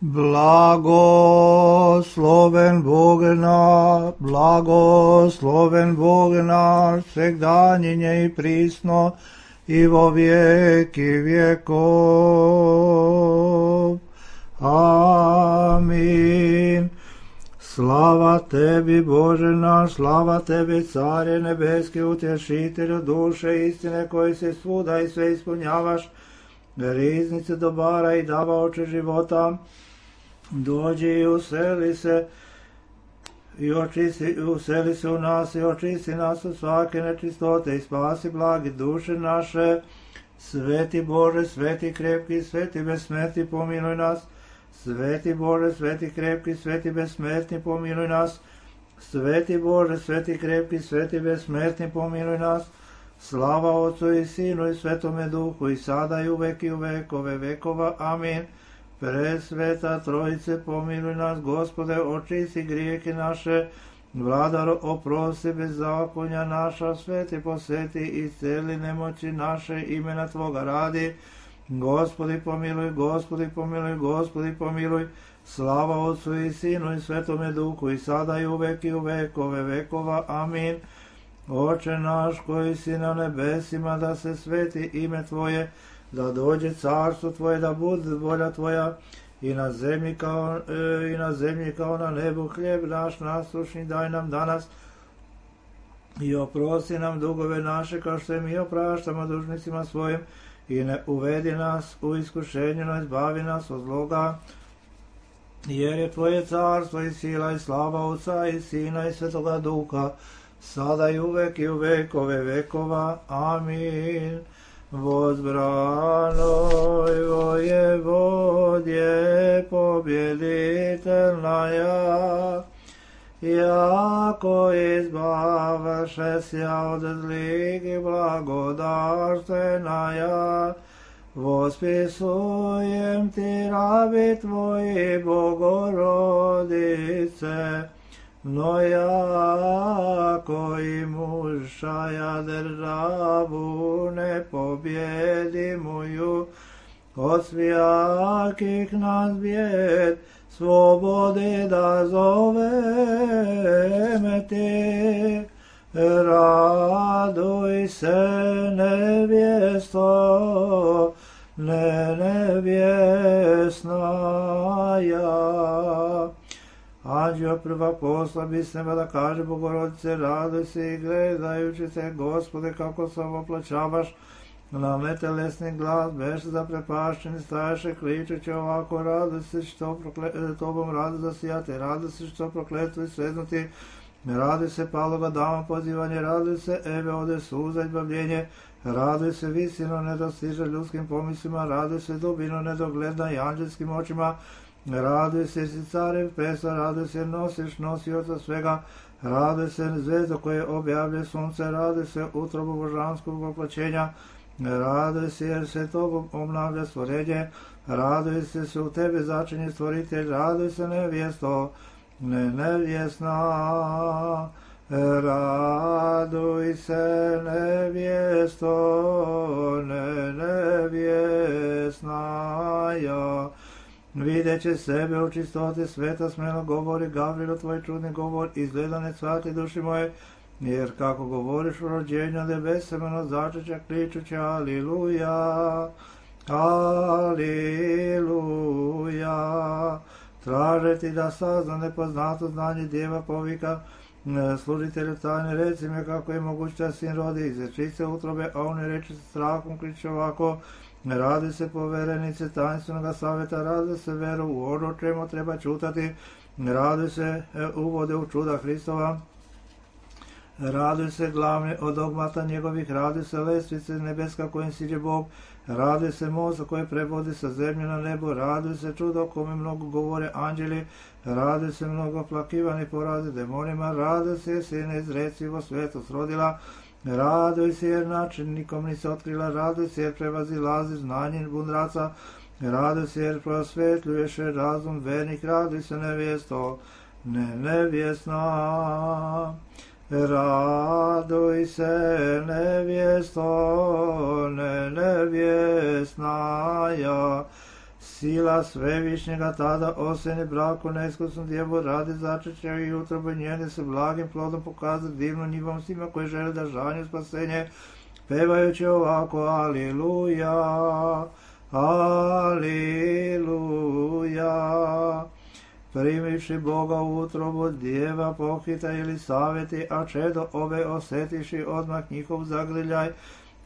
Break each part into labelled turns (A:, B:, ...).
A: Blagosloven Bog naš, svegdanjenje i prisno, i vo vijeki vjekov. Amin. Slava tebi, Bože naš, slava tebi, Care nebeski, utješitelju duše istine, koji se svuda i sve ispunjavaš, riznice dobara i davaoče života. Dođi i useli se u nas i očisti nas od svake nečistote i spasi blagi duše naše. Sveti Bože, sveti krepki, sveti besmrtni, pomiluj nas. Sveti Bože, sveti krepki, sveti besmrtni, pomiluj nas. Sveti Bože, sveti krepki, sveti besmrtni, pomiluj nas. Slava Otcu i Sinu i Svetome Duhu, i sada i uvek i u vekove vekova. Amin. Presveta Trojice, pomiluj nas, Gospode, očisti grijehe naše, Vladaro, oprosti bezakonja naša, sveti posveti i celi nemoći naše, imena Tvoga radi. Gospodi pomiluj, Gospodi pomiluj, Gospodi pomiluj. Slava Otcu i Sinu i Svetome Duhu, i sada i uvek i u vekove vekova. Amin. Oče naš koji si na nebesima, da se sveti ime Tvoje, da dođe carstvo Tvoje, da bude volja Tvoja, i na zemlji kao na nebu. Hljeb naš naslušni daj nam danas, i oprosti nam dugove naše, kao što mi opraštamo dužnicima svojim, i ne uvedi nas u iskušenje, no izbavi nas od zloga. Jer je Tvoje carstvo i sila i slava Otca i Sina i Svetoga Duha, sada i uvek i u vekove vekova. Amin. Возбранoj воеводje побjeditelnaja, jako izbavaše sja od zlih i blagodarstvenaja, vospisujem ti rabi Tvoji, Bogorodice, no jako i mušaja državu ne pobjedi moju, od svijakih nas bijed slobode da zoveme ti. Raduj se nevjesto, nevjesnaja. Anđeo prva posla bi s neba da kaže Bogorodice, raduj se i gledajući se, Gospode, kako se oplaćavaš na netelesni glas, beše zaprepašćeni, staješe kličući ovako, raduj se što tobom radu zasijate, raduj se što prokletvo i sveznuti, raduj se paloga dama pozivanje, raduj se Eve ode suza i bavljenje, raduj se visino nedostiže ljudskim pomislima, raduj se dubino nedogledna i anđelskim očima, raduj se si carev pesa, raduj se nosiš nosioca svega, raduj se zvezdo koje objavlje sunce, raduj se utrobu božanskog voplaćenja, raduj se jer se tobom obnavlja stvorenje, raduj se u tebe začinje stvoritelj, raduj se nevjesto, nevjesna, raduj se nevjesto, nevjesnaja. Videće sebe u čistote sveta, smelo govori Gavrilo, tvoj čudni govor, izgleda ne cvati duši moje, jer kako govoriš u rođenju nebesemeno začeća kličuće, aliluja, aliluja. Traže ti da sazna nepoznato znanje djeva povika, služitelju tajne, reci me kako je moguće da sin rodi iz ječice utrobe, a oni reče se strahom, kliče ovako, radi se poverenice tajnstvenog savjeta, radi se veru u ono čemu treba čutati, radi se uvode u čuda Hristova, radi se glavni od dogmata njegovih, radi se lestvice nebeska kojim siđe Bog, radi se moza koje prevodi sa zemlje na nebo, radi se čudo kome mnogo govore anđeli, radi se mnogo plakivani porazi demonima, radi se jer se neizrecivo svetost rodila, raduj se jer način nikom nisi otkrila, raduj se jer prevazilazi znanje bundraca, raduj se jer prosvetljuješ razum vernik, raduj se nevjesto, nevjesna. Raduj se nevjesto, nevjesnaja. Sila svevišnjega tada oseni braku neiskusnu djevu radi začeća i utrobu njene se blagim plodom pokazati divnu njivom svima koji žele da žanju spasenje, pevajući ovako Aliluja, Aliluja. Primivši Boga u utrobu djeva pohita ili savjeti, a čedo ove osjetiši odmah njihov zagrljaj,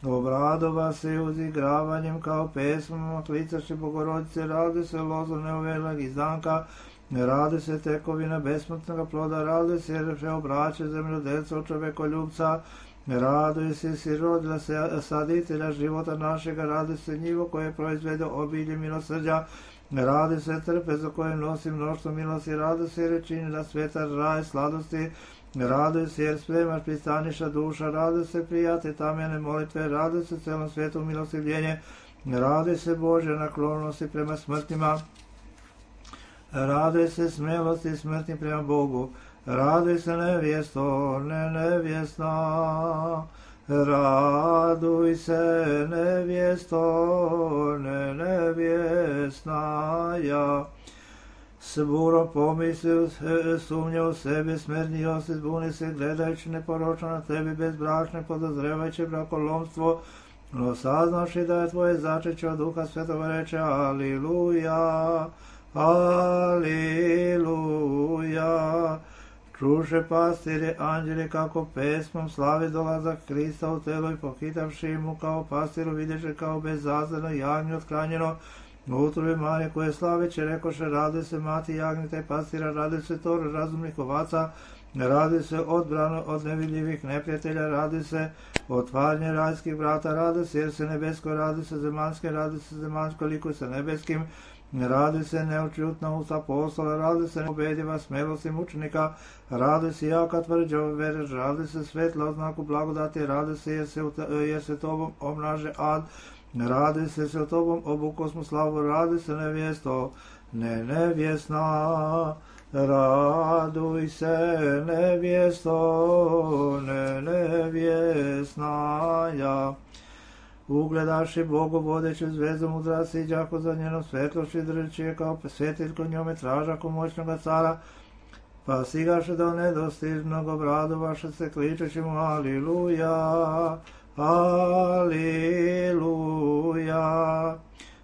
A: obradova se uzigravanjem kao pesmama, klicaši Bogorodice, radi se lozo neovelog izdanka, radi se tekovina besmrtnog ploda, radi se jer se obraće zemljodelca od čovekoljubca, raduje se sirodila saditelja života našega, radi se njivo koje proizvede obilje milosrđa, radi se trpe za koje nosi mnoštvo milosti, radi se jer čini na sveta raj sladosti, radi se jer spremaš pristaniša duša, radi se prijate tamjene molitve, radi se celom svijetu milostivljenje, radi se Božja naklonosti prema smrtnima, radi se smelosti smrtnim prema Bogu, radi se nevjesto, nevjesna, raduj se nevjesto, nevjesna, ja. S burom pomisli, sumnje u sebi, smernio se, zbuni se, gledajući neporočno na tebi, bezbračne, podozrevajući brakolomstvo, no saznavši da je tvoje začeće od Duha Svetog reče Aliluja, Aliluja. Čuše pastire anđeli kako pesmom slavi dolazak Krista u telo i pohitavši mu kao pastiru vidješe kao bezazleno jagnje otkranjeno u utrobi Marije koje slaveće rekoše radi se mati jagnjeta i pastira, radi se tor razumnih ovaca, radi se odbrano od nevidljivih neprijatelja, radi se otvaranje rajskih vrata, radi se jer se nebesko, radi se zemaljsko likuj sa nebeskim, radi se neočutna usta apostola, radi se pobediva smelosti mučenika, radi se jaka tvrđa vere, radi se svetla oznaku blagodati, radi se jer se tobom omnaže ad, radi se tobom obukosmu slavu, radi se nevjesto, nevjesna, raduj se nevjesto, nevjesna, ja. Ugledaši Bogu vodeću zvezdu mudraci i đako za njenom svetlošću držeći je kao svjetiljko njome tražako moćnoga cara, pa sigaše do nedostižnog obradu vaše se kličeći mu Aliluja, Aliluja.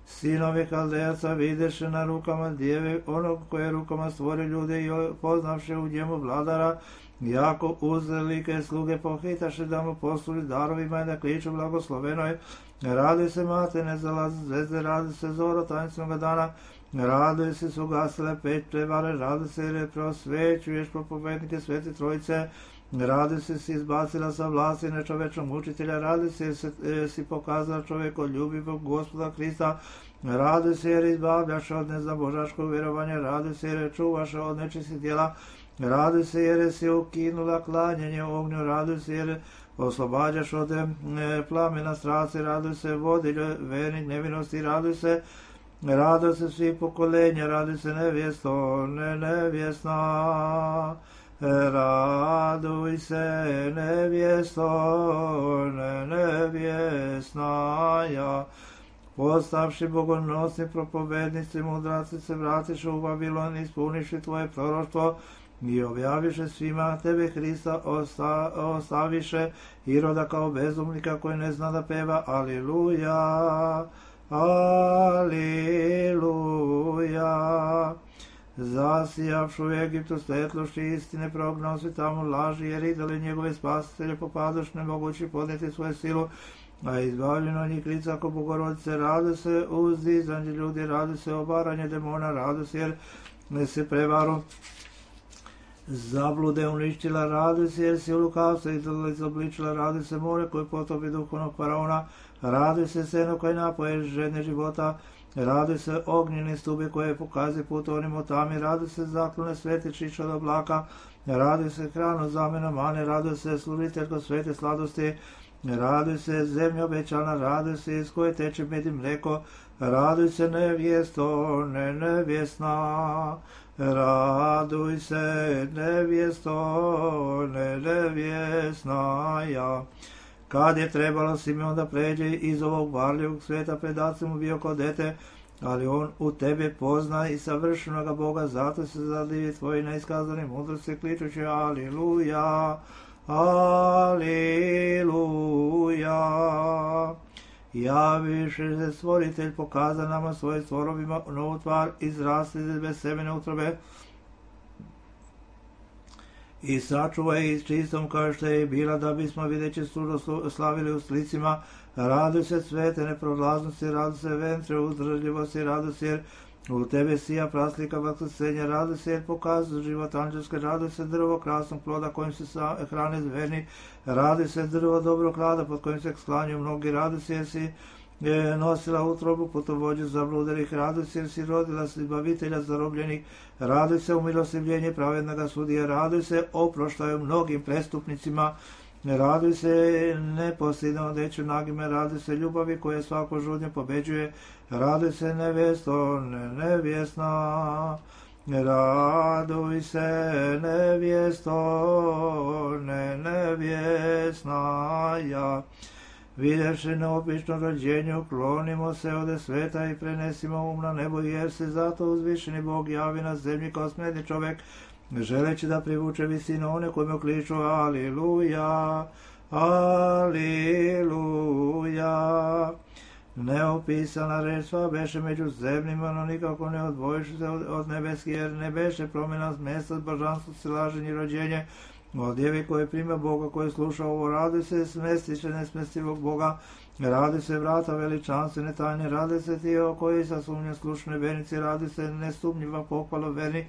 A: Sinovi Kaldejaca videše na rukama djeve onog koje rukama stvori ljude i poznavše u njemu vladara, jako uz velike sluge pohitaše da mu posluži darovima i da kliču blagoslovenoj, radi se mate ne zalaze zvezde, radi se zoro tajnicnoga dana, radi se su gasile peć prevare, radi se jer je prosvećuješ propovednike Svete Trojice, radi se si izbacila sa vlasti nečovečnog učitelja, radi se jer si pokazala čovjekoljubivog Gospoda Krista, radi se jer izbavljaš od neznabožačkog vjerovanja, radi se jer čuvaš od nečistih djela, radi se jer si ukinula klanjanje ognju, radi se jer oslobađaš od plamena strasti, radi se vodilje vernih nevinosti, radi se svi pokolenja, radi se nevjesto, nevjesna, raduj se nevjesto, nevjesna, ja. Postavši bogonosni propovednici, mudraci se vratiše u Vavilon, ispuniši tvoje proroštvo i objaviše svima tebe Hrista, ostaviše Iroda kao bezumnika koji ne zna da peva Aliluja, Aliluja. Zasijavšu u Egiptu svetlošću istine, prognao si tamo laži, jer idoli njegove spasitelje popadoš nemogući podneti svoju silu, a izbavljeno njih lica ako Bogorodice, rade se uzdizanje ljudi, rade se obaranje demona, rade se jer se prevaru zablude uništila, rade se jer si u lukavstva izobličila, rade se more koje potopi duhovnog faraona, rade se seno koje napoje žedne života, rade se ognjeni stubi koje pokaze put onim otami, rade se zaklone svete čiš od oblaka, rade se hranu zamena mane, rade se sluviteljko svete sladosti, rade se zemlja obećana, rade se iz koje teče med i mleko, rade se nevjesto, nevjesna, raduj se nevjesto, nevjesna, ja. Kad je trebalo Simeon da pređe iz ovog varljivog svijeta, pred Acem mu bio kao dete, ali on u tebe pozna i savršenoga Boga, zato se zadivi tvoji neiskazani mudrosti, kličući Aliluja, Aliluja. Javiše se stvoritelj, pokaza nama svoje stvorovima novu tvar, izrasli bez semene utrobe i sačuvaj ih čistom kao što je i bila, da bismo videći sudo slavili u slicima. Raduj se svete neprolaznosti, raduj se ventre uzdržljivosti, raduj se jer u tebe sija praslika vaskrsenja, raduj se jer pokazuje život anđelske, raduj se drvo krasnog ploda kojim se hrane zverni, raduj se drvo dobrog klada pod kojim se sklanjuju mnogi, raduj se jer si nosila utrobu putovođu zabludenih, raduj se jer si rodila bavitelja zarobljenih, raduj se umilostivljenje pravednoga sudija, raduj se oproštaju mnogim prestupnicima, raduj se neposljedno odeću nagime, raduj se ljubavi koja svako žudnje pobeđuje, raduj se nevjesto, nevjesna, raduj se nevjesto, nevjesna, ja. Vidjevši neobično rođenje, uklonimo se ode sveta i prenesimo na nebo, jer se zato uzvišeni Bog javi na zemlji kao smedni čovjek, želeći da privuče visinu one kojima kliču Aliluja, Aliluja. Neopisana reč sva beše među zemljima, no nikako ne odvojiš se od nebeski, jer ne beše promjena mjesta božanstvo, silaženje i rođenje, od djevi koje prima Boga, koje sluša ovo, radi se smestiše nesmestivog Boga, radi se vrata veličanstvene tajne, radi se tijelo koji sa sumnjom slušne vernici, radi se nesumnjiva pohvala verni,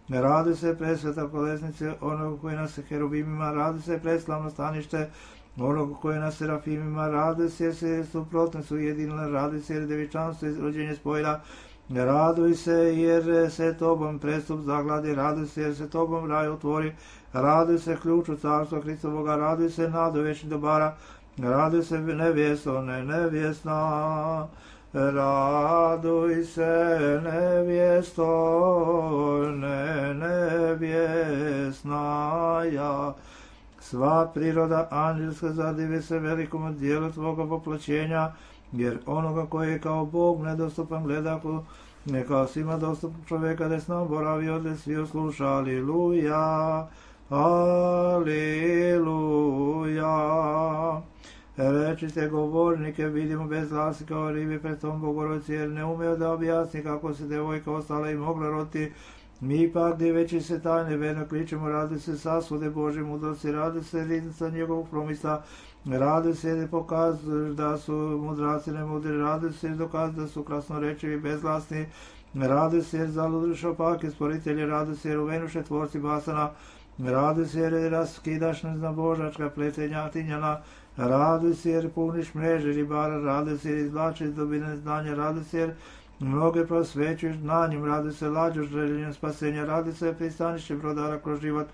A: radi se presveta kolesnice onog koji nas herubimima, radi se preslavno stanište onog koji nas serafimima, radi se jer se suprotne su jedinile, radi se jer devičanstvo i rođenje spojila, raduj se jer se tobom prestup zagladi, raduj se jer se tobom raj otvori, raduj se ključu carstva Hristovoga, raduj se nadu večnih dobara, raduj se nevjesto, nevjesna, raduj se nevjesto, nevjesna, ja. Sva priroda anđelska zadivi se velikom dijelu tvoga voplaćenja, jer onoga koji je kao Bog nedostupan gleda, ne kao svima dostupan čovjeka, da s nam boravi odle svi osluša. Aliluja, Aliluja. Rečite govornike, vidimo bez glasi kao ribi pred tom Bogorodici, jer ne umeo da objasni kako se devojka ostala i mogla roditi. Mi pak, diveći se tajne, verno kličemo, radi se sasude Božje mudrosti, radi se riznica njegovog promisla, radi se pokaz da su mudraci nemudri, radi se dokaz da su krasnorečivi bezglasni, radi se zaludri šopaki stvoritelji, radi se uvenuše tvorci basana, radi se jer raskidaš neznabožačka pletenja tinjana, radi se jer puniš mreže ribara, radi se jer izvlačiš dubine znanja, radi se jer mnoge prosvećuješ znanjem, radi se lađoš željenjem spasenja, radi se pristanište brodara kroz život,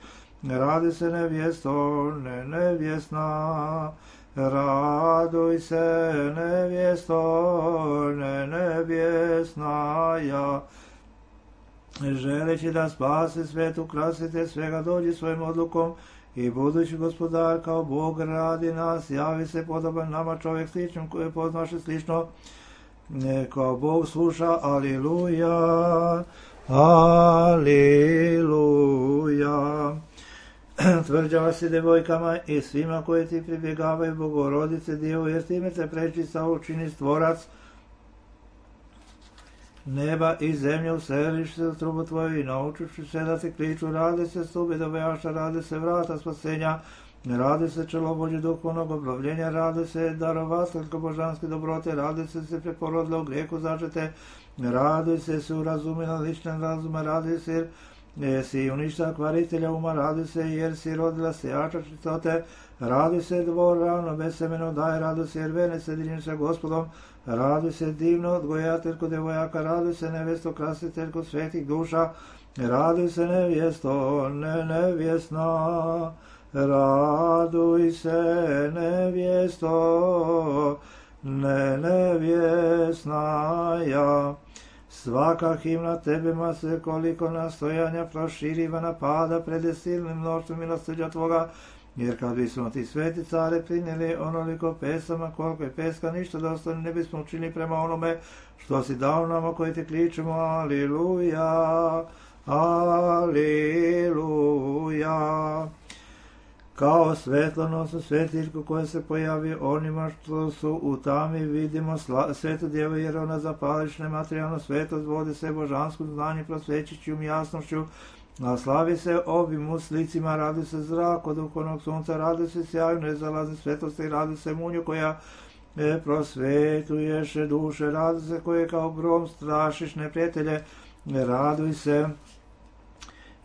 A: radi se nevjesto, nevjesna, raduj se nevjesto, nevjesna, ja. Želeći da spasi svet, ukrasite svega, dođi svojim odlukom i budući gospodar kao Bog radi nas, javi se podoban nama čovjek sličnom koje poznaše slično, kao Bog sluša. Aliluja, Aliluja. Tvrđava si devojkama i svima koji ti pribjegavaju, Bogorodice Djevo, jer time te prečista učini stvorac neba i zemlje, useliš se u trubu tvoju i naučuši se da ti kliču, radi se stubi dovejaša, radi se vrata spasenja, radi se čelovođe duhovnog obnovljenja, radi se darovateljko božanske dobrote, radi se preporodila u grijehu začete, radi se urazumila lične razume, radi se jer si uništa kvaritelja uma, radi se jer si rodila sejača čistote, radi se dvor ravno bez semeno daje, radi se jer vene sjedinjen sa Gospodom, radi se divno odgojateljko devojaka, radi se nevesto krasiteljko svetih duša, radi se nevjesto, nevjesna, raduj se nevjesto, nevjesna, ja. Svaka himna tebima se koliko nastojanja proširiva napada pred silnim mnoštvom milosrđa tvoga, jer kad bismo ti sveti care prinijeli onoliko pesama, koliko je peska, ništa da ostane ne bismo učinili prema onome što si dao nama koji ti kličemo, aliluja, aliluja. Kao svetlonosnu svetiljku koja se pojavi onima što su u tami, vidimo svetu djevu, jer ona zapališ nematerijalno svetost, vodi se božanskom znanju, prosvećiću jasnošću, a slavi se obim slicima, radi se zrak od duhovnog sunca, radi se sjaju nezalazne svetosti, radi se munju koja prosvetuješ duše, radi se koje kao grom strašiš neprijatelje, raduj se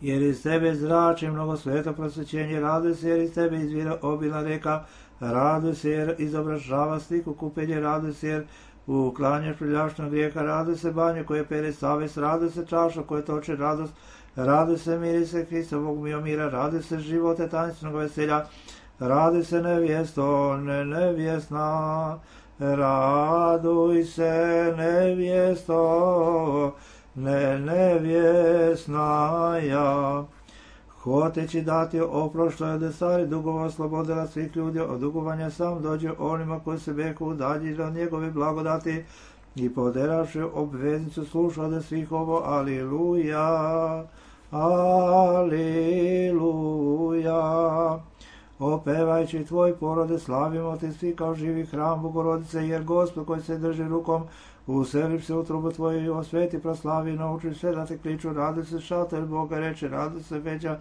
A: jer iz tebe zrači mnogo sveto prosvećenje, raduj se jer iz tebe izvira obilna reka, raduj se jer izobražava sliku kupenje, raduj se jer uklanjaš prljavštnog grijeha, raduj se banje koje pere savest, raduj se čaša koje toče radost, raduj se mirise Hristovog mira, raduj se živote tanicnog veselja, raduj se nevjesto, nevjesna, raduj se nevjesto, nevjesna ja. Hoteći dati oprošto je od stari dugova oslobodila svih ljudi od dugovanja, sam dođe onima koji se beku udaljili od njegove blagodati i poderavši obveznicu sluša od svih ovo, aliluja, aliluja. Opevajući tvoj porode, slavimo te svi kao živi hram Bogorodice, jer Gospod koji se drži rukom, uselip se u trubu tvoju i osveti, proslavi, nauči sve da te kliču, radi se šater Boga reče, radi se veća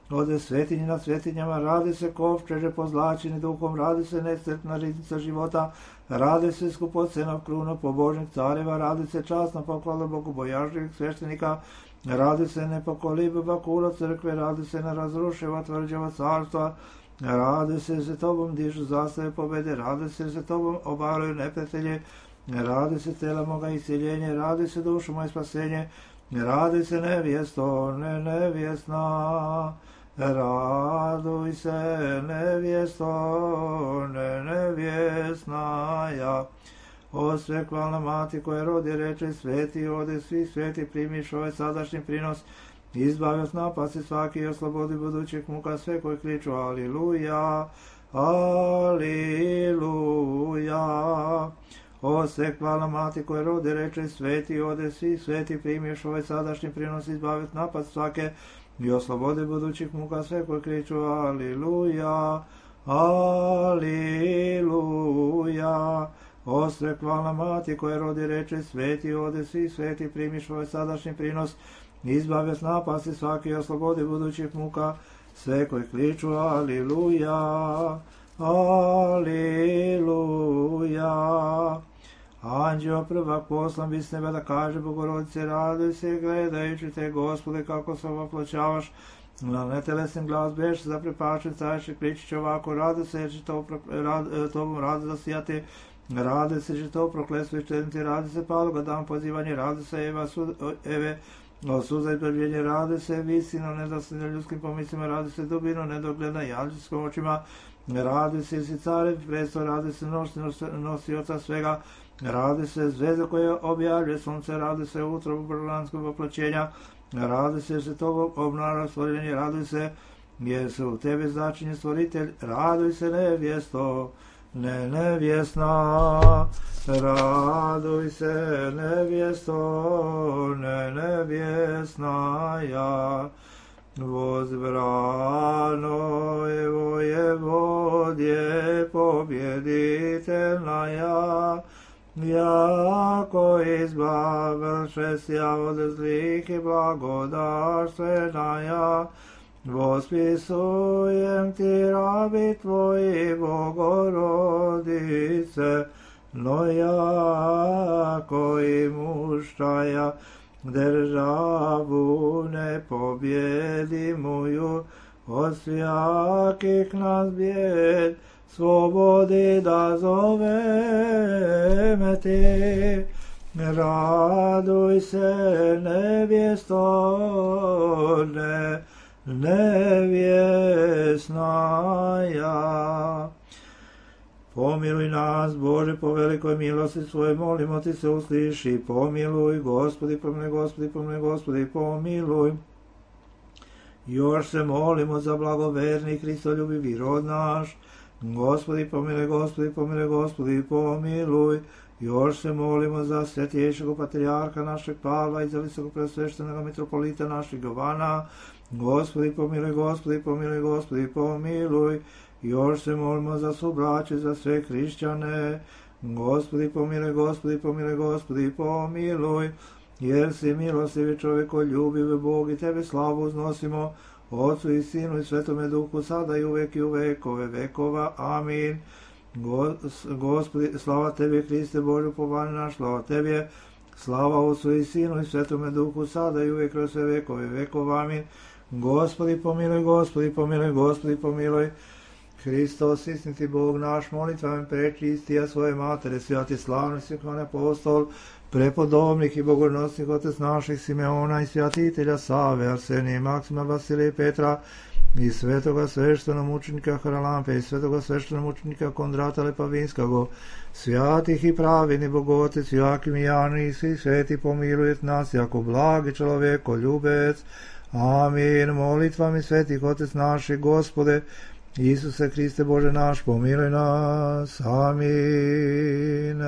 A: ode svetinji nad svetinjama, radi se kovčeže pozlačeni duhom, radi se nesretna riznica života, radi se skupocenov kruna pobožnih careva, radi se časna poklada bogobojažnjivih sveštenika, radi se nepokolibiva kula crkve, radi se nerazrušiva tvrđava carstva, radi se tobom dižu zastave pobede, radi se tobom obaraju neprijatelje, radi se tela moga isceljenje, radi se dušu moje spasenje, radi se nevjesto, nevjesna, raduj se nevjesto, nevjesna ja. O svekvalna mati koja rodi reče, sveti ode svi sveti, primiš ovaj sadašnji prinos, izbavi od napasti svaki i oslobodi budućih muka sve koji kliču, aliluja, aliluja. O svekvalna mati koja rodi reče, sveti ode svi sveti, primiš ovaj sadašnji prinos, izbavi od napasti svake i oslobodi budućih muka sve koji kliču, aliluja, aliluja. O svekvalna mati koja rodi reče, sveti ode svi sveti, primiš ovaj sadašnji prinos, izbavi od napasti svaki i oslobodi budućih muka sve koji kliču, aliluja, aliluja. Anđeo prvak poslan bi s neba da kaže Bogorodice, raduj se gledajući te, Gospode, kako se ovoploćavaš, na netelesnim glas beš zaprepačen, careši kličić ovako, raduj se jer će tobom radu zasijati, raduj se će to prokletstvo iščedniti, raduj se paloga dan pozivanje, raduj se Eve o suza i prbljenje, raduj se visino nedosljedno ljudskim pomislima, raduj se dubino nedogledna i anđelskom očima, raduj se si care presto, raduj se nosioca svega, raduj se zvezda koja objavlja sunce, raduj se utrobu božanskog oploćenja, raduj se jer se tobom obnara stvorenje, raduj se jer se u tebe začinje stvoritelj, raduj se nevjesto, nevjesna, raduj se nevjesto, nevjesna ja. Возбрано его Еводje pobjeditelna ja, jako izbavlše sja od zlih i blagodarstvena ja. Vospisujem ti rabi tvoji Bogorodice, no ja koji muštaja državu ne pobjedi moju, od svijakih nas bijed slobodi da zoveme ti. Raduj se nevjesto, nevjesna ja. Pomiluj nas, Bože, po velikoj milosti svoje, molimo ti se, usliši, pomiluj, Gospodi, pomiluj, Gospodi, pomiluj, Gospodi, pomiluj. Još se molimo za blagoverni Hristoljubivi rod naš. Gospodi pomiluj, Gospodi pomiluj, Gospodi pomiluj. Još se molimo za svetiješeg patrijarha našeg Pavla i za visokopreosveštenog mitropolita našeg Jovana. Gospodi pomiluj, Gospodi pomiluj, Gospodi pomiluj. Još se molimo za subraće, za sve hrišćane. Gospodi pomiluj, Gospodi pomiluj, Gospodi pomiluj. Jer si milostivi čovjeko, ljubiv Bog i tebe slavu uznosimo, Otcu i Sinu i Svetome Duhu, sada i uvek i u vekove vekova. Amin. Gospodi, slava Tebi, Hriste Božju, povani naš, slava Tebi, slava Otcu i Sinu i Svetome Duhu, sada i uvek kroz sve vekove vekova. Amin. Gospodi pomiluj, Gospodi pomiluj, Gospodi pomiluj. Hristos, istiniti Bog naš, molitvama prečistija svoje matere, svijati slavni svihvan apostol, prepodobnih i bogonosnih otec naših Simeona i svjatitelja Save, Arsenije, Maksima, Vasilija i Petra, i svetoga sveštenomučenika Haralampe, i svetoga sveštenomučenika Kondrata Lepavinskog, svjatih i pravini Bogotec, Joakim i Jani, i svi sveti pomilujet nas, jako blagi čovjeko, ljubec. Amin. Molitvami svetih otec naših, Gospode, Isuse Hriste Bože naš, pomiluj nas. Amin.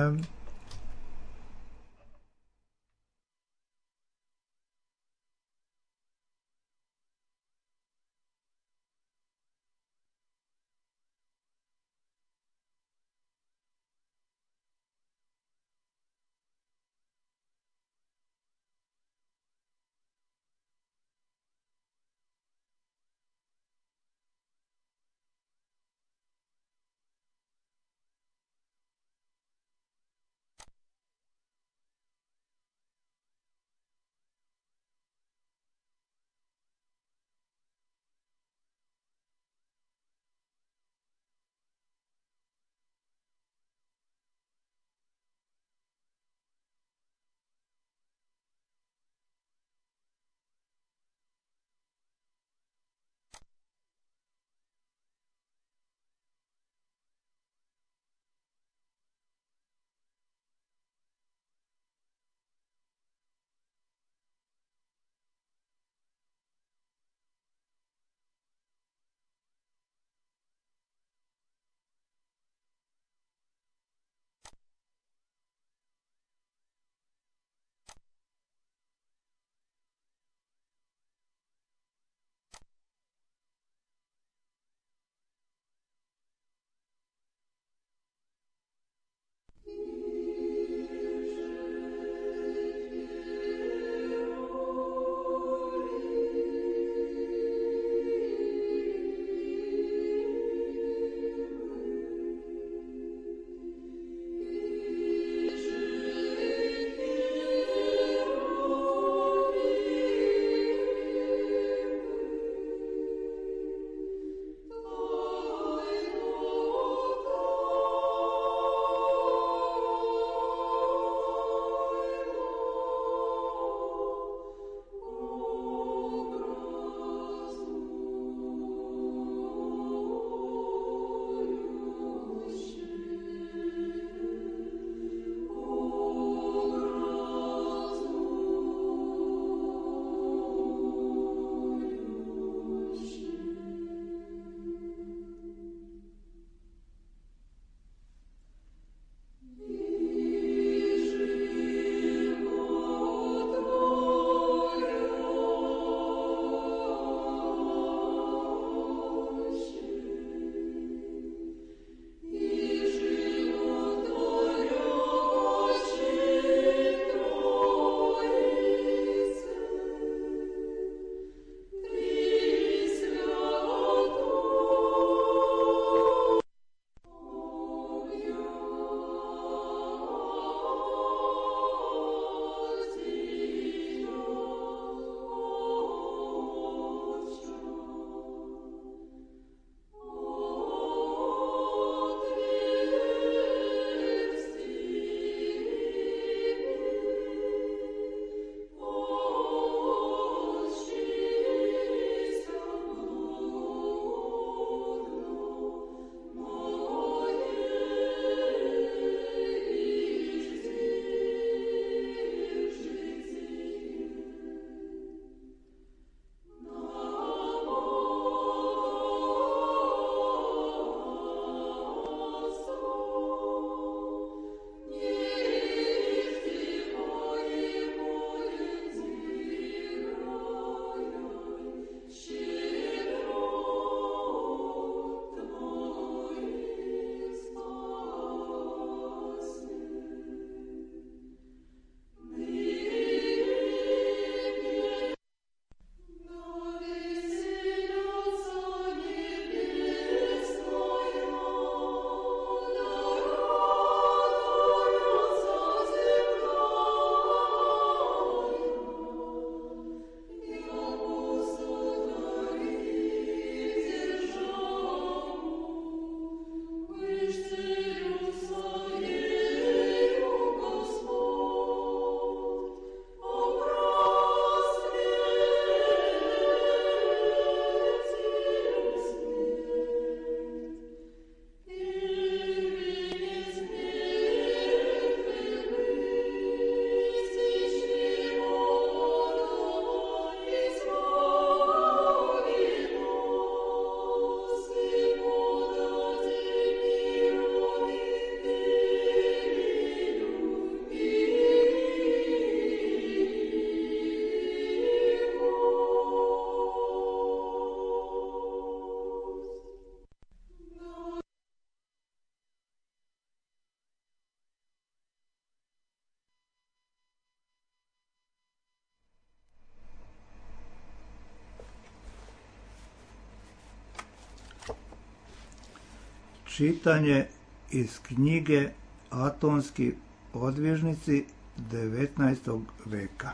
A: Čitanje iz knjige Atonski odvježnici 19. veka.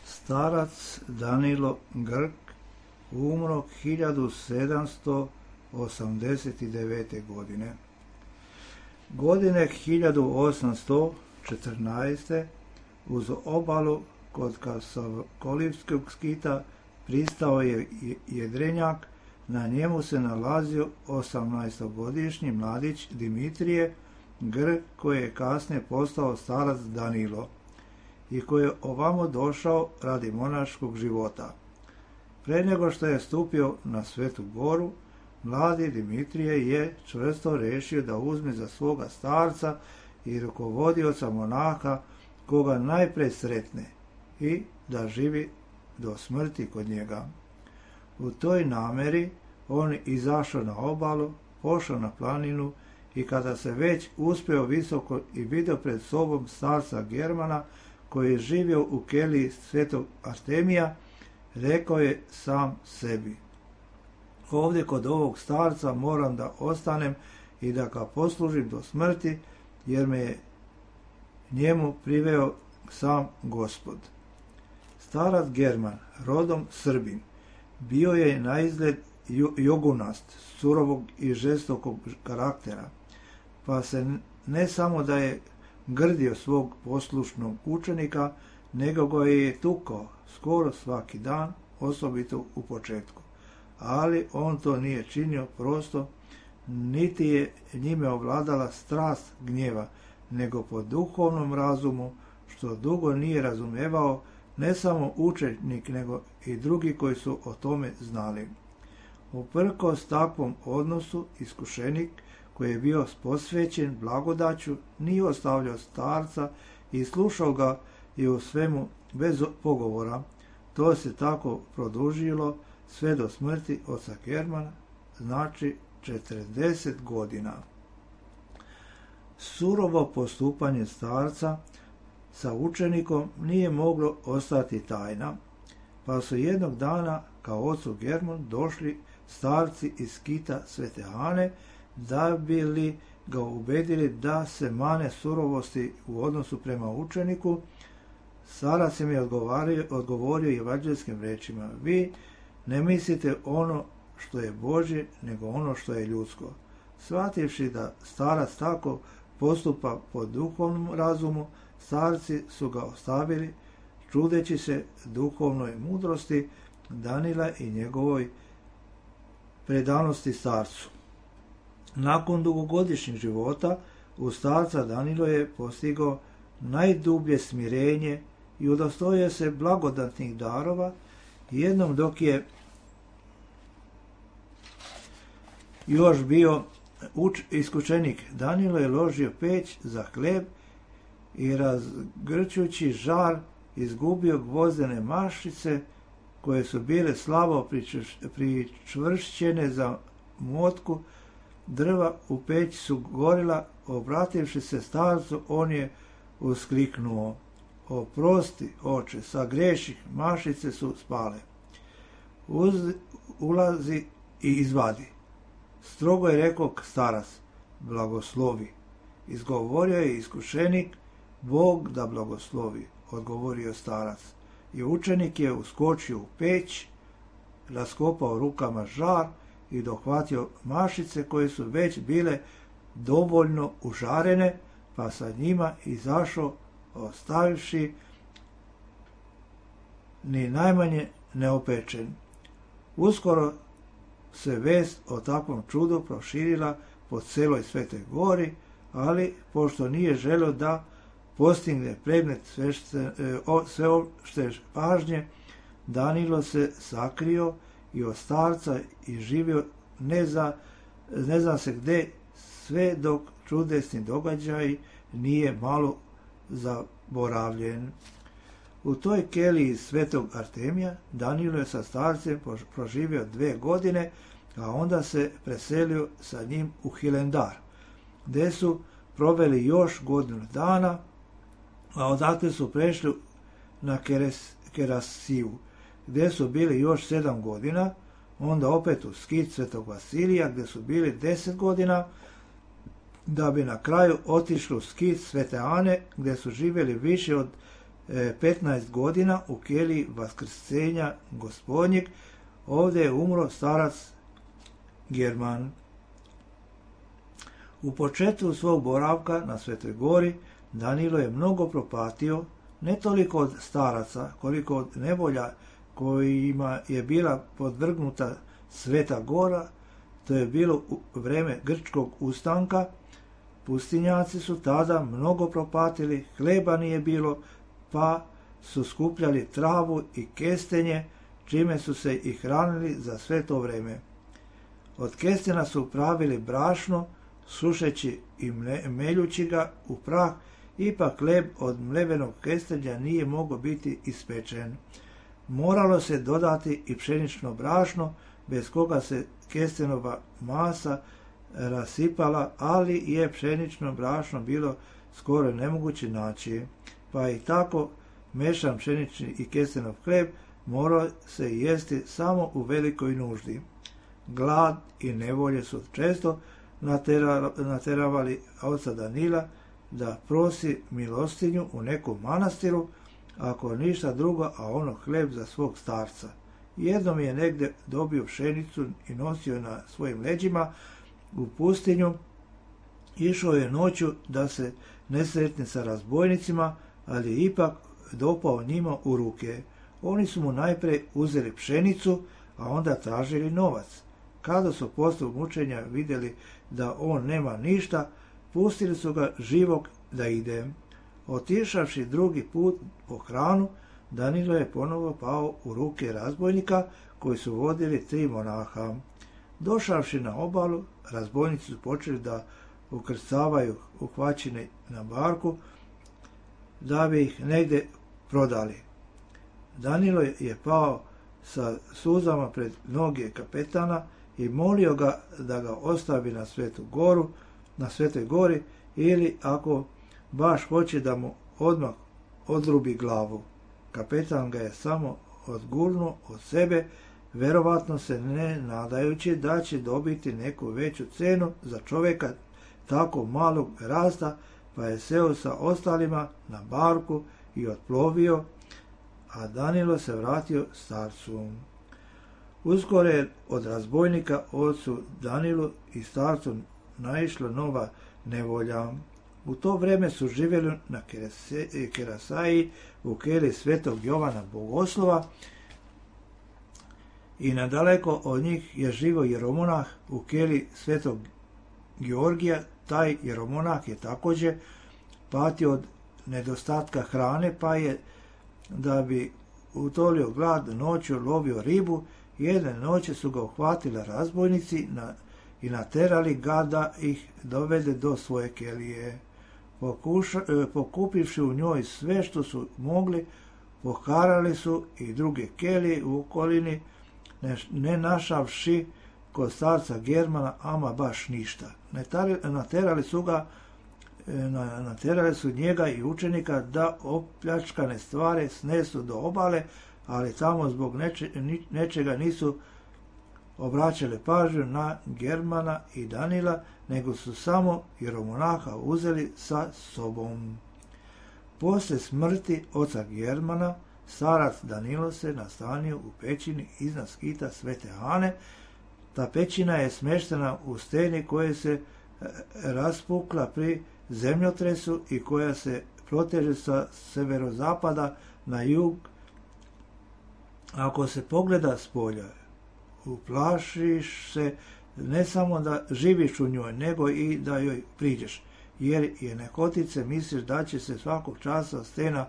A: Starac Danilo Grk umro 1789. godine. Godine 1814. uz obalu kod Kasolivskog skita pristao je jedrenjak, na njemu se nalazio 18-godišnji mladić Dimitrije Grk, koji je kasnije postao starac Danilo i koji je ovamo došao radi monaškog života. Pre nego što je stupio na Svetu Goru, mladi Dimitrije je čvrsto rešio da uzme za svoga starca i rukovodioca monaha koga najpre sretne i da živi do smrti kod njega. U toj nameri on izašao na obalu, pošao na planinu i kada se već uspeo visoko i vidio pred sobom starca Germana koji je živio u keliji Svetog Artemija, rekao je sam sebi: ovdje kod ovog starca moram da ostanem i da ga poslužim do smrti, jer me je njemu priveo sam Gospod. Starac German, rodom Srbin, bio je na izgled jogunast, surovog i žestokog karaktera, pa se ne samo da je grdio svog poslušnog učenika, nego ga je tukao skoro svaki dan, osobito u početku. Ali on to nije činio prosto, niti je njime ovladala strast gnjeva, nego po duhovnom razumu, što dugo nije razumevao ne samo učenik, nego i drugi koji su o tome znali. Uprkos takvom odnosu, iskušenik koji je bio posvećen blagodaću nije ostavljao starca i slušao ga i u svemu bez pogovora. To se tako produžilo sve do smrti oca Germana, znači 40 godina. Surovo postupanje starca sa učenikom nije moglo ostati tajna, pa su jednog dana kao ocu Germanu došli starci iz skita Svete Ane da bi li ga ubedili da se mane surovosti u odnosu prema učeniku. Starac im je odgovorio evanđelskim rečima: vi ne mislite ono što je Božje, nego ono što je ljudsko. Shvativši da starac tako postupa po duhovnom razumu, starci su ga ostavili, čudeći se duhovnoj mudrosti Danila i njegovoj predanosti starcu. Nakon dugogodišnjeg života u starca Danilo je postigao najdublje smirenje i udostojio se blagodatnih darova. Jednom dok je još bio iskušenik, Danilo je ložio peć za hleb i razgrćući žar izgubio gvozdene mašice koje su bile slabo pričvršćene za motku drva u peći su gorila. Obrativši se starcu, on je uskliknuo: oprosti, oče, sagreših, mašice su spale. Ulazi i izvadi. Strogo je rekao starac: blagoslovi. Izgovorio je iskušenik: Bog da blagoslovi, odgovorio starac. I učenik je uskočio u peć, raskopao rukama žar i dohvatio mašice koje su već bile dovoljno užarene, pa sa njima izašao, ostavivši ni najmanje neopečen. Uskoro se vest o takvom čudu proširila po celoj Svetoj Gori, ali pošto nije želeo da postigne predmet sveopšte pažnje, Danilo se sakrio i od starca i živio ne zna se gde, sve dok čudesni događaj nije malo zaboravljen. U toj keliji Svetog Artemija Danilo je sa starcem proživio 2 godine, a onda se preselio sa njim u Hilendar, gde su proveli još godinu dana, a odatle su prešli na Kerasiju, gdje su bili još 7 godina, onda opet u Skit Svetog Vasilija gdje su bili 10 godina, da bi na kraju otišli u Skit Svete Ane gdje su živjeli više od 15 godina u keliji Vaskrsenja Gospodnjeg. Ovdje je umro starac German. U početku svog boravka na Svetoj Gori Danilo je mnogo propatio, ne toliko od staraca, koliko od nevolja kojima je bila podvrgnuta Sveta Gora. To je bilo u vrijeme grčkog ustanka. Pustinjaci su tada mnogo propatili, hleba nije bilo, pa su skupljali travu i kestenje, čime su se i hranili za sve to vrijeme. Od kestena su pravili brašno, sušeći i meljući ga u prah, ipak hleb od mlevenog kestenja nije mogao biti ispečen. Moralo se dodati i pšenično brašno, bez koga se kestenova masa rasipala, ali je pšenično brašno bilo skoro nemoguće naći, pa i tako mešan pšenični i kestenov hleb morao se jesti samo u velikoj nuždi. Glad i nevolje su često nateravali oca Danila da prosi milostinju u nekom manastiru, ako ništa drugo, a ono hleb za svog starca. Jednom je negdje dobio pšenicu i nosio na svojim leđima u pustinju. Išao je noću da se ne sretne sa razbojnicima, ali je ipak dopao njima u ruke. Oni su mu najprije uzeli pšenicu, a onda tražili novac. Kada su poslije mučenja vidjeli da on nema ništa, pustili su ga živog da ide. Otišavši drugi put po hranu, Danilo je ponovo pao u ruke razbojnika koji su vodili 3 monaha. Došavši na obalu, razbojnici su počeli da ukrcavaju uhvaćene na barku, da bi ih negdje prodali. Danilo je pao sa suzama pred noge kapetana i molio ga da ga ostavi na Svetoj Gori, ili ako baš hoće da mu odmah odrubi glavu. Kapetan ga je samo odgurnuo od sebe, verovatno se ne nadajući da će dobiti neku veću cenu za čovjeka tako malog rasta, pa je seo sa ostalima na barku i otplovio, a Danilo se vratio starcu. Uskoro je od razbojnika ocu Danilu i starcu naišla nova nevolja. U to vrijeme su živjeli na Kerasaji u keliji Svetog Jovana Bogoslova i nadaleko od njih je živo jeromonah u keliji Svetog Georgija. Taj jeromonah je također patio od nedostatka hrane, pa je, da bi utolio glad, noću lovio ribu. Jedne noći su ga uhvatili razbojnici i naterali ga da ih dovede do svoje kelije. Pokupivši u njoj sve što su mogli, poharali su i druge kelije u okolini, ne našavši kod starca Germana ama baš ništa. Naterali su njega i učenika da opljačkane stvari snesu do obale, ali tamo zbog nečega nisu obraćali pažnju na Germana i Danila, nego su samo jeromonaha uzeli sa sobom. Poslije smrti oca Germana, starac Danilo se nastanio u pećini iznad Skita Svete Ane. Ta pećina je smještena u steni koja se raspukla pri zemljotresu i koja se proteže sa severozapada na jug. Ako se pogleda s polja, uplašiš se ne samo da živiš u njoj, nego i da joj priđeš, jer je nehotice misliš da će se svakog časa stena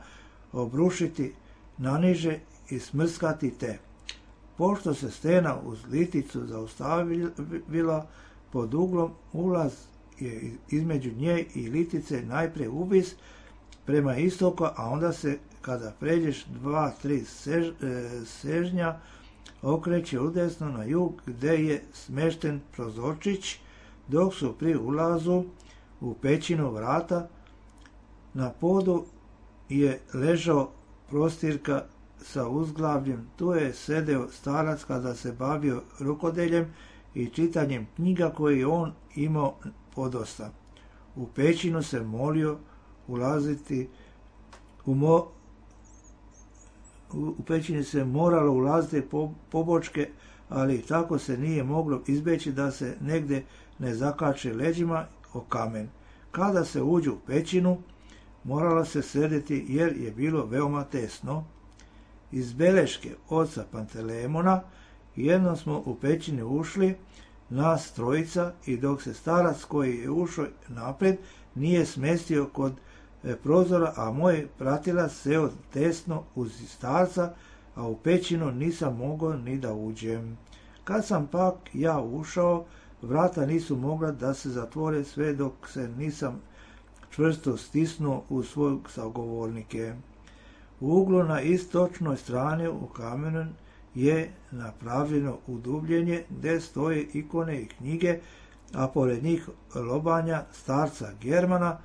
A: obrušiti naniže i smrskati te. Pošto se stena uz liticu zaustavila pod uglom, ulaz je između nje i litice najprije uvis prema istoku, a onda se, kada pređeš 2-3 sežnja, okreće udesno na jug, gdje je smešten prozorčić, dok su pri ulazu u pećinu vrata na podu je ležao prostirka sa uzglavljem, tu je sedeo starac kada se bavio rukodeljem i čitanjem knjiga koje je on imao podosta. U pećinu se molio ulaziti u pećini se moralo ulaziti pobočke, ali tako se nije moglo izbjeći da se negde ne zakače leđima o kamen. Kada se uđe u pećinu, moralo se sedeti jer je bilo veoma tesno. Iz beleške oca Pantelemona jednom smo u pećini ušli, nas trojica, i dok se starac koji je ušao napred nije smestio kod prozora, a moj pratilac seo tesno uz starca, a u pećinu nisam mogao ni da uđem. Kad sam pak ja ušao, vrata nisu mogla da se zatvore sve dok se nisam čvrsto stisnuo u svog sagovornike. U uglu na istočnoj strani u kamenu je napravljeno udubljenje gdje stoje ikone i knjige, a pored njih lobanja starca Germana.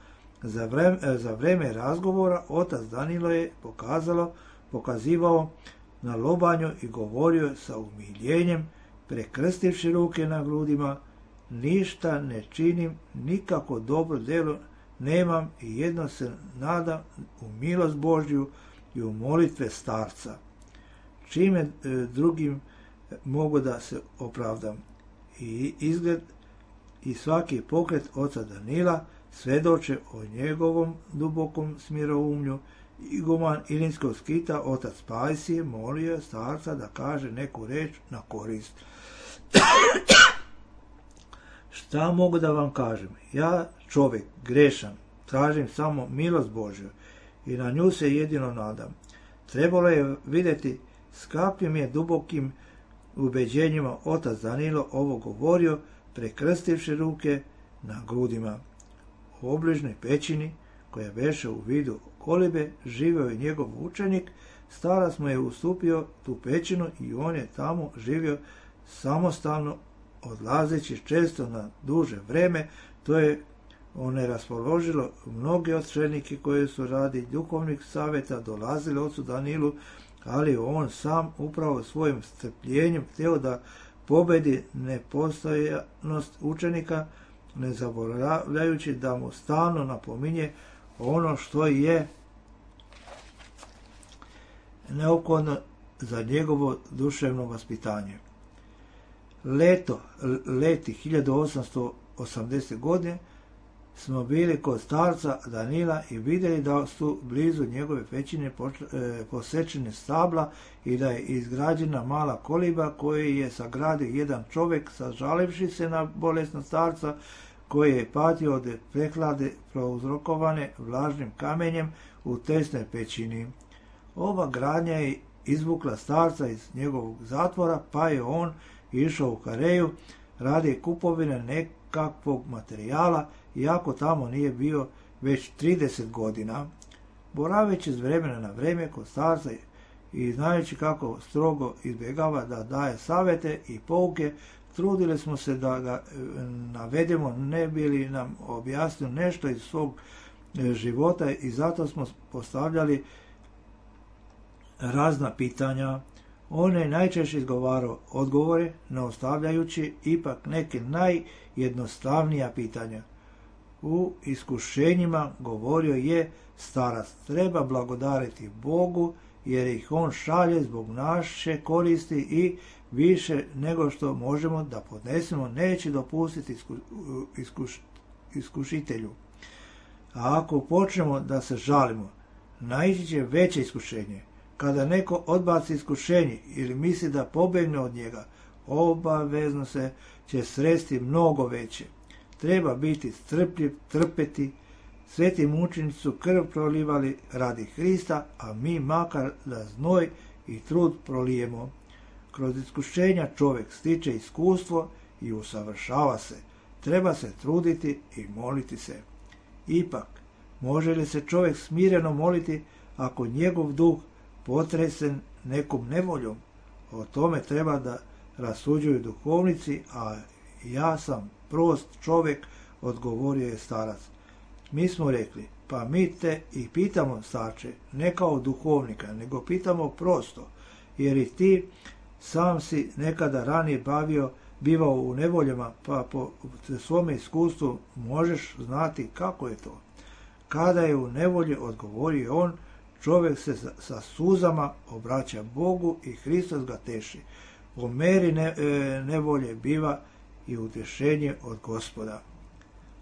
A: Za vreme razgovora otac Danilo je pokazivao na lobanju i govorio sa umiljenjem, prekrstivši ruke na grudima: ništa ne činim, nikako dobro djelo nemam i jedno se nadam u milost Božju i u molitve starca. Čime drugim mogu da se opravdam? I izgled i svaki pokret oca Danila svedoče o njegovom dubokom smiroumlju. Iguman Ilinskog skita, otac Pajsije, molio starca da kaže neku reč na korist. Šta mogu da vam kažem? Ja, čovjek, grešan, tražim samo milost Božju i na nju se jedino nadam. Trebalo je vidjeti s kakvim je dubokim ubeđenjima otac Danilo ovo govorio, prekrstivši ruke na grudima. U obližnoj pećini, koja beše u vidu kolibe, živio je njegov učenik. Starac mu je ustupio tu pećinu i on je tamo živio samostalno, odlazeći često na duže vreme. To je raspoložilo mnoge očenike koji su radi duhovnih savjeta dolazili ocu Danilu, ali on sam upravo svojim strpljenjem htio da pobedi nepostojanost učenika, ne zaboravljajući da mu stalno napominje ono što je neophodno za njegovo duševno vaspitanje. Leti 1880. godine smo bili kod starca Danila i vidjeli da su blizu njegove pećine posečene stabla i da je izgrađena mala koliba koju je sagradio jedan čovjek, sažalivši se na bolesnog starca koji je patio od prehlade prouzrokovane vlažnim kamenjem u tesnoj pećini. Ova gradnja je izvukla starca iz njegovog zatvora, pa je on išao u Kareju radi kupovine nekakvog materijala, iako tamo nije bio već 30 godina. Boraveći s vremena na vrijeme kod starca i znajući kako strogo izbjegava da daje savjete i pouke, trudili smo se da ga navedemo, ne bi li nam objasnio nešto iz svog života, i zato smo postavljali razna pitanja. On je najčešće izgovarao odgovore, ne ostavljajući ipak neke najjednostavnija pitanja. U iskušenjima govorio je starac: treba blagodariti Bogu, jer ih on šalje zbog naše koristi i više nego što možemo da podnesemo neće dopustiti iskušitelju. A ako počnemo da se žalimo, naići će veće iskušenje. Kada neko odbaci iskušenje ili misli da pobegne od njega, obavezno se će sresti mnogo veće. Treba biti strpljiv, trpeti. Sveti mučenici su krv prolivali radi Hrista, a mi makar da znoj i trud prolijemo. Kroz iskušenja čovjek stiče iskustvo i usavršava se. Treba se truditi i moliti se. Ipak, može li se čovjek smireno moliti ako njegov duh potresen nekom nevoljom? O tome treba da rasuđuju duhovnici, a ja sam prost čovjek, odgovorio je starac. Mi smo rekli, pa mi te i pitamo, starče, ne kao duhovnika, nego pitamo prosto, jer i ti sam si nekada ranije bivao u nevoljama, pa po svome iskustvu možeš znati kako je to. Kada je u nevolji, odgovorio on, čovjek se sa suzama obraća Bogu i Hristos ga teši. U meri nevolje biva i utješenje od Gospoda.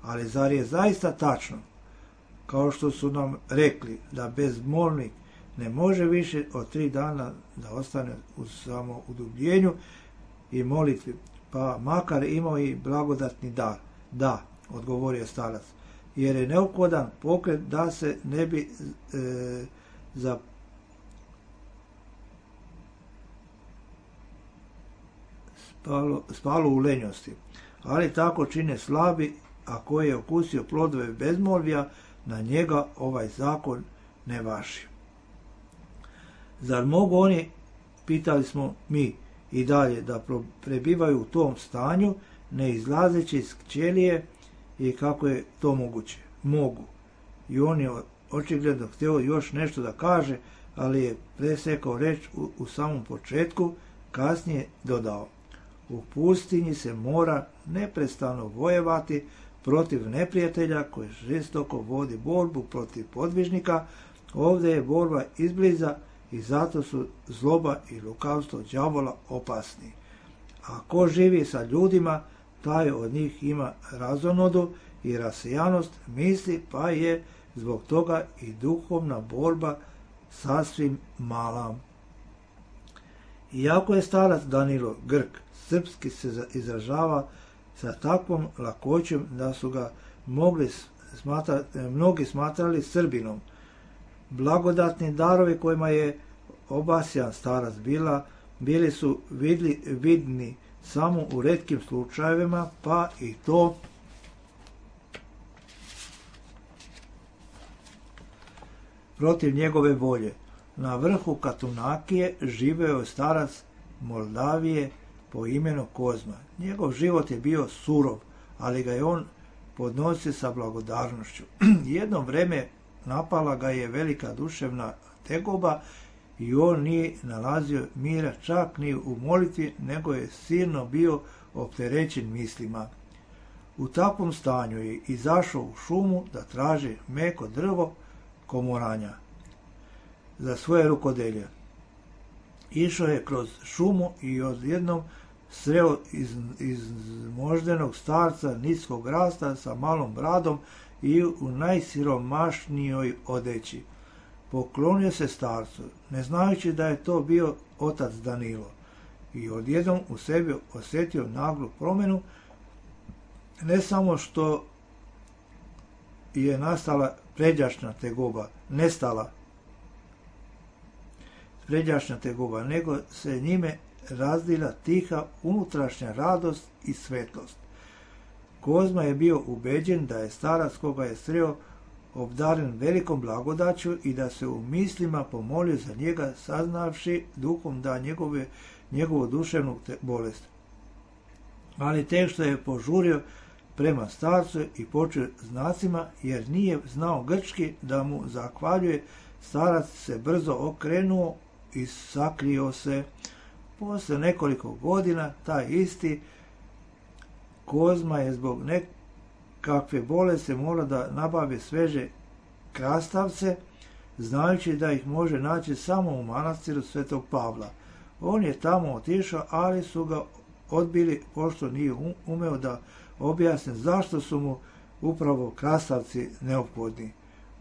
A: Ali zar je zaista tačno, kao što su nam rekli, da bezmolnik ne može više od 3 dana da ostane u samoudubljenju i molitvi, pa makar imao i blagodatni dar? Da, odgovorio starac, jer je neophodan pokret da se ne bi spalo u lenjosti. Ali tako čine slabi, a koji je okusio plodove bezmolvija, na njega ovaj zakon ne važi. Zar mogu oni, pitali smo mi, i dalje da prebivaju u tom stanju, ne izlazeći iz ćelije, i kako je to moguće? Mogu. I on je očigledno htio još nešto da kaže, ali je presekao reč u samom početku, kasnije dodao: u pustinji se mora neprestano vojevati protiv neprijatelja koji žestoko vodi borbu protiv podvižnika. Ovdje je borba izbliza i zato su zloba i lukavstvo đavola opasni. A ko živi sa ljudima, taj od njih ima razonodu i rasejanost misli, pa je zbog toga i duhovna borba sasvim mala. Iako je starac Danilo Grk, srpski se izražava sa takvom lakoćom da su ga mnogi smatrali Srbinom. Blagodatni darovi kojima je obasjan starac bili su vidni samo u retkim slučajevima, pa i to protiv njegove volje. Na vrhu Katunakije živeo je starac Moldavije po imenu Kozma. Njegov život je bio surov, ali ga je on podnosio sa blagodarnošću. Jedno vreme napala ga je velika duševna tegoba i on nije nalazio mira čak ni u molitvi, nego je silno bio opterećen mislima. U takvom stanju je izašao u šumu da traži meko drvo komoranja za svoje rukodelje. Išao je kroz šumu i odjednom sreo izmoždenog starca niskog rasta sa malom bradom i u najsiromašnijoj odeći. Poklonio se starcu, ne znajući da je to bio otac Danilo, i odjednom u sebi osjetio naglu promjenu. Ne samo što je nastala pređašnja tegoba, nego se njime razdila tiha unutrašnja radost i svetlost. Kozma je bio ubeđen da je starac koga je sreo obdaren velikom blagodaću i da se u mislima pomolio za njega, saznavši duhom da njegovu duševnu bolest. Ali tek što je požurio prema starcu i počeo znacima, jer nije znao grčki da mu zahvaljuje, starac se brzo okrenuo i sakrio se. Posle nekoliko godina taj isti Kozma je zbog nekakve bolesti morao da nabavi sveže krastavce, znajući da ih može naći samo u manastiru Svetog Pavla. On je tamo otišao, ali su ga odbili, pošto nije umeo da objasne zašto su mu upravo krastavci neophodni.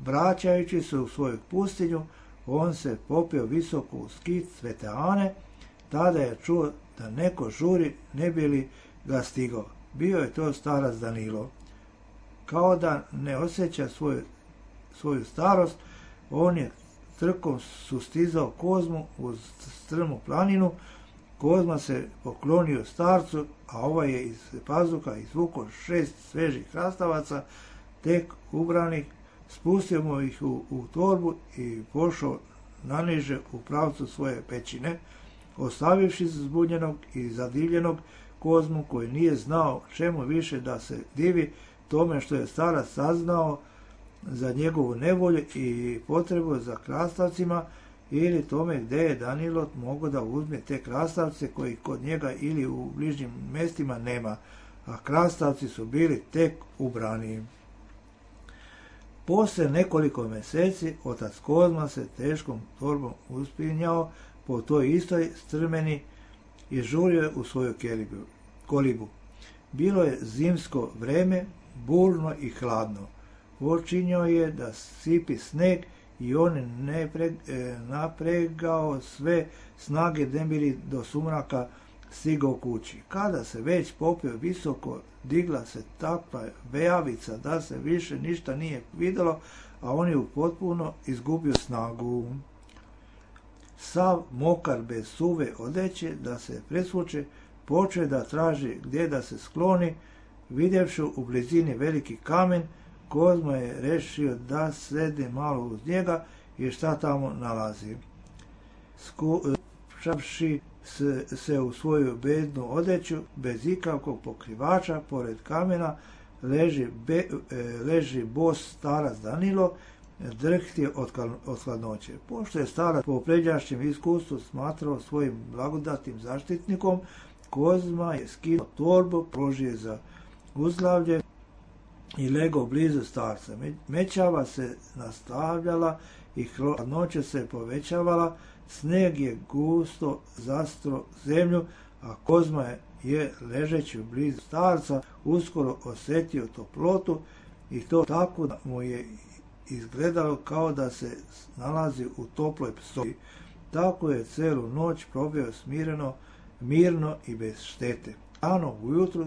A: Vraćajući se u svoju pustinju, on se popeo visoko u skit Svete Ane. Tada je čuo da neko žuri, ne bi li ga stigao. Bio je to starac Danilo. Kao da ne osjeća svoju starost, on je trkom sustizao Kozmu uz strmu planinu. Kozma se poklonio starcu, a ovaj je iz pazuha izvukao 6 svežih krastavaca, tek ubranih, spustio mu ih u torbu i pošao naniže u pravcu svoje pećine, ostavivši zbunjenog i zadivljenog Kozmu, koji nije znao čemu više da se divi, tome što je starac saznao za njegovu nevolju i potrebu za krastavcima, ili tome gdje je Danilo mogao da uzme te krastavce koji kod njega ili u bližnjim mjestima nema, a krastavci su bili tek ubrani. Poslije nekoliko mjeseci otac Kozma se teškom torbom uspinjao po toj istoj strmeni i žurio je u svoju kolibu. Bilo je zimsko vreme, burno i hladno. Počinjao je da sipi sneg i on napregao sve snage da bi do sumraka stigao kući. Kada se već popio visoko, digla se takva vejavica da se više ništa nije vidjelo, a on je potpuno izgubio snagu. Sav mokar bez suve odeće da se presvuče, počeo da traži gdje da se skloni. Vidjevši u blizini veliki kamen, Kozma je rešio da sede malo uz njega i šta tamo nalazi. Skupšavši se u svoju bednu odeću, bez ikakvog pokrivača, pored kamena, leži bos starac Danilo, drhti od hladnoće. Pošto je starac po pređašnjem iskustvu smatrao svojim blagodatnim zaštitnikom, Kozma je skinuo torbu, položio za uzglavlje i legao blizu starca. Mećava se nastavljala i hladnoća se povećavala, sneg je gusto zastro zemlju, a Kozma je ležeći blizu starca uskoro osjetio toplotu i to tako da mu je izgledalo kao da se nalazi u toploj sobi. Tako je celu noć probio mirno i bez štete. Rano ujutru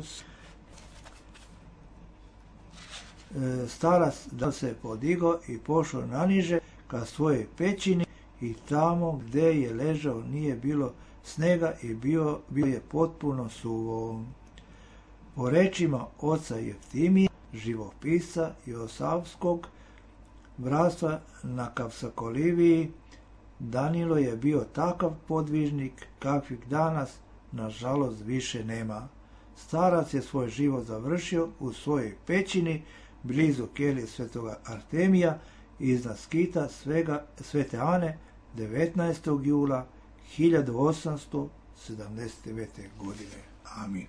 A: starac da se podigao i pošao naniže ka svojoj pećini i tamo gdje je ležao nije bilo snega i bio je potpuno suvo. Po rečima oca Jeftimija, živopisca Josavskog bratstva na Kapsakoliviji, Danilo je bio takav podvižnik kakvih danas nažalost više nema. Starac je svoj život završio u svojoj pećini blizu kelije svetoga Artemija iznad skita Svete Ane 19. jula 1879. godine. Amin.